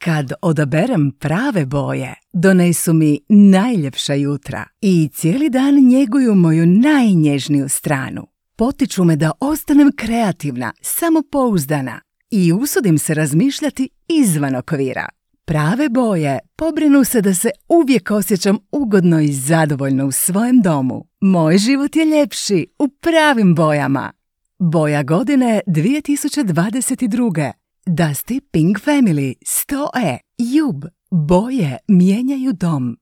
Kad odaberem prave boje, donesu mi najljepša jutra i cijeli dan njeguju moju najnježniju stranu. Potiču me da ostanem kreativna, samopouzdana i usudim se razmišljati izvan okvira. Prave boje pobrinu se da se uvijek osjećam ugodno i zadovoljno u svojem domu. Moj život je ljepši u pravim bojama. Boja godine 2022. Dusty Pink Family 100E. Jub. Boje mijenjaju dom.